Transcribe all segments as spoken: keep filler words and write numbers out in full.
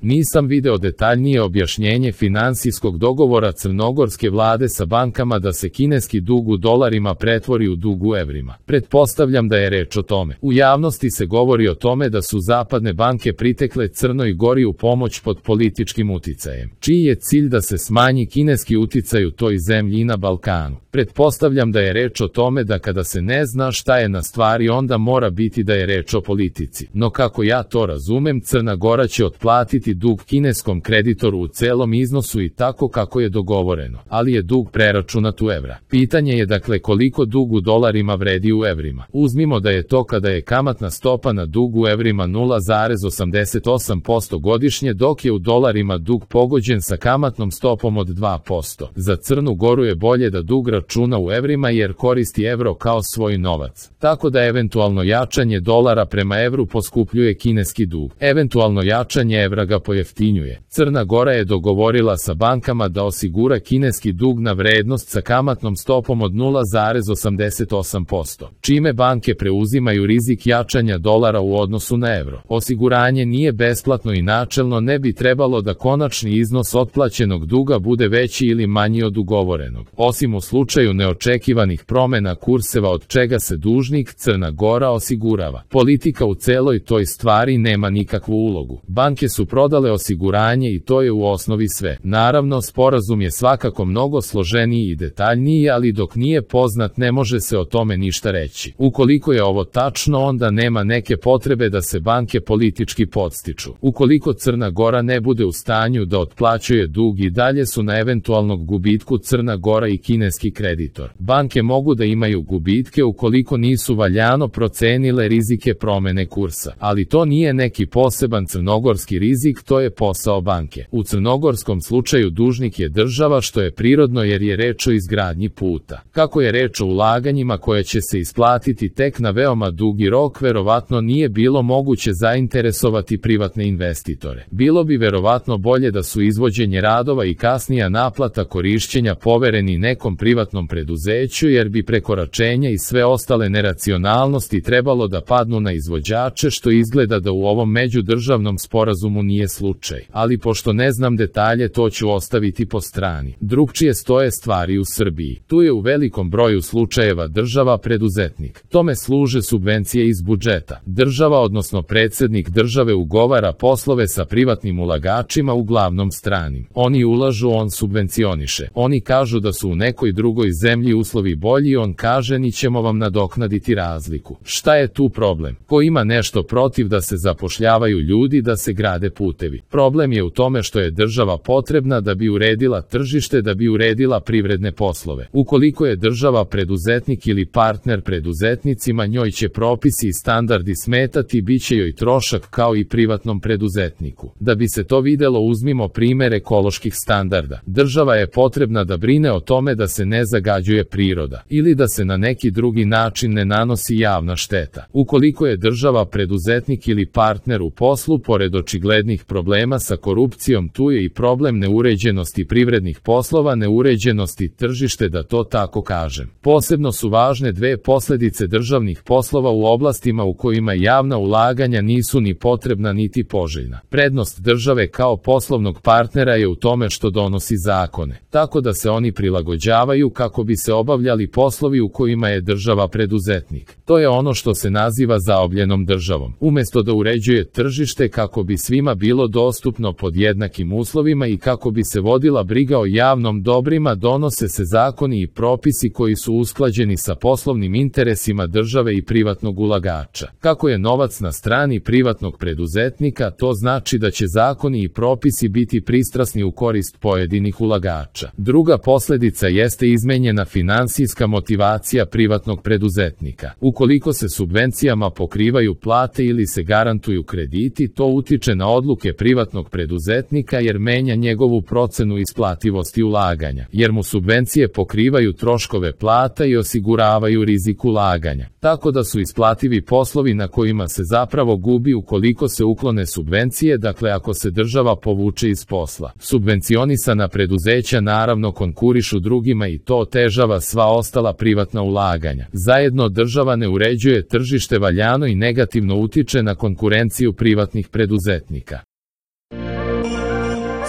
Nisam video detaljnije objašnjenje finansijskog dogovora crnogorske vlade sa bankama da se kineski dug u dolarima pretvori u dug u evrima. Pretpostavljam da je reč o tome. U javnosti se govori o tome da su zapadne banke pritekle Crnoj Gori u pomoć pod političkim uticajem, čiji je cilj da se smanji kineski uticaj u toj zemlji i na Balkanu. Pretpostavljam da je reč o tome da kada se ne zna šta je na stvari, onda mora biti da je reč o politici. No kako ja to razumem, Crna Gora će otplatiti dug kineskom kreditoru u celom iznosu i tako kako je dogovoreno, ali je dug preračunat u evra. Pitanje je dakle koliko dug u dolarima vredi u evrima. Uzmimo da je to kada je kamatna stopa na dug u evrima nula zarez osamdeset osam posto godišnje, dok je u dolarima dug pogođen sa kamatnom stopom od dva posto. Za Crnu Goru je bolje da dug računa u evrima jer koristi evro kao svoj novac. Tako da eventualno jačanje dolara prema evru poskupljuje kineski dug. Eventualno jačanje evra ga pojeftinjuje. Crna Gora je dogovorila sa bankama da osigura kineski dug na vrednost sa kamatnom stopom od nula zarez osamdeset osam posto, čime banke preuzimaju rizik jačanja dolara u odnosu na evro. Osiguranje nije besplatno i načelno ne bi trebalo da konačni iznos otplaćenog duga bude veći ili manji od ugovorenog, osim u slučaju neočekivanih promena kurseva od čega se dužnik Crna Gora osigurava. Politika u celoj toj stvari nema nikakvu ulogu. Banke su prodale osiguranje i to je u osnovi sve. Naravno, sporazum je svakako mnogo složeniji i detaljniji, ali dok nije poznat ne može se o tome ništa reći. Ukoliko je ovo tačno, onda nema neke potrebe da se banke politički podstiču. Ukoliko Crna Gora ne bude u stanju da otplaćuje dug, i dalje su na eventualnog gubitku Crna Gora i kineski kreditor. Banke mogu da imaju gubitke ukoliko nisu valjano procenile rizike promene kursa, ali to nije neki poseban crnogorski rizik, to je posao banke. U crnogorskom slučaju dužnik je država, što je prirodno jer je reč o izgradnji puta. Kako je reč o ulaganjima koje će se isplatiti tek na veoma dugi rok, verovatno nije bilo moguće zainteresovati privatne investitore. Bilo bi verovatno bolje da su izvođenje radova i kasnija naplata korišćenja povereni nekom privatnom preduzeću, jer bi prekoračenja i sve ostale neracionalnosti trebalo da padnu na izvođače, što izgleda da u ovom međudržavnom sporazumu nije slučaj. Ali pošto ne znam detalje, to ću ostaviti po strani. Drugčije stoje stvari u Srbiji. Tu je u velikom broju slučajeva država preduzetnik. Tome služe subvencije iz budžeta. Država, odnosno predsjednik države, ugovara poslove sa privatnim ulagačima, uglavnom stranim. Oni ulažu, on subvencioniše. Oni kažu da su u nekoj drugoj zemlji uslovi bolji, on kaže ni ćemo vam nadoknaditi razliku. Šta je tu problem? Ko ima nešto protiv da se zapošljavaju ljudi, da se grade putevi? Problem je u tome što je država potrebna da bi uredila tržište, da bi uredila privredne poslove. Ukoliko je država preduzetnik ili partner preduzetnicima, njoj će propisi i standardi smetati, bit će joj trošak kao i privatnom preduzetniku. Da bi se to videlo, uzmimo primjer ekoloških standarda. Država je potrebna da brine o tome da se ne zagađuje priroda ili da se na neki drugi način ne nanosi javna šteta. Ukoliko je država preduzetnik ili partner u poslu, pored očiglednih problema sa korupcijom, tu je i problem neuređenosti privrednih poslova, neuređenosti tržište, da to tako kažem. Posebno su važne dve posljedice državnih poslova u oblastima u kojima javna ulaganja nisu ni potrebna niti poželjna. Prednost države kao poslovnog partnera je u tome što donosi zakone, tako da se oni prilagođavaju kako bi se obavljali poslovi u kojima je država preduzetnik. To je ono što se naziva zaobljenom državom. Umjesto da uređuje tržište kako bi svima bilo dostupno pod jednakim uslovima i kako bi se vodila briga o javnom dobrima, donose se zakoni i propisi koji su usklađeni sa poslovnim interesima države i privatnog ulagača. Kako je novac na strani privatnog preduzetnika, to znači da će zakoni i propisi biti pristrasni u korist pojedinih ulagača. Druga posljedica jeste izmenjena finansijska motivacija privatnog preduzetnika. Ukoliko se subvencijama pokrivaju plate ili se garantuju krediti, to utiče na odluke privatnog preduzetnika jer menja njegovu procenu isplativosti ulaganja, jer mu subvencije pokrivaju troškove plata i osiguravaju rizik ulaganja. Tako da su isplativi poslovi na kojima se zapravo gubi ukoliko se uklone subvencije, dakle ako se država povuče iz posla. Subvencionisana preduzeća naravno konkurišu drugima i to otežava sva ostala privatna ulaganja. Zajedno država ne uređuje tržište valjano i negativno utiče na konkurenciju privatnih preduzetnika.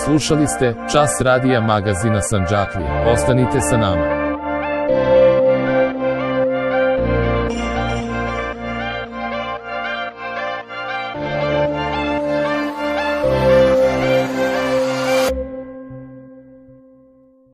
Slušali ste Čas radija magazina Sandžaklija. Ostanite sa nama.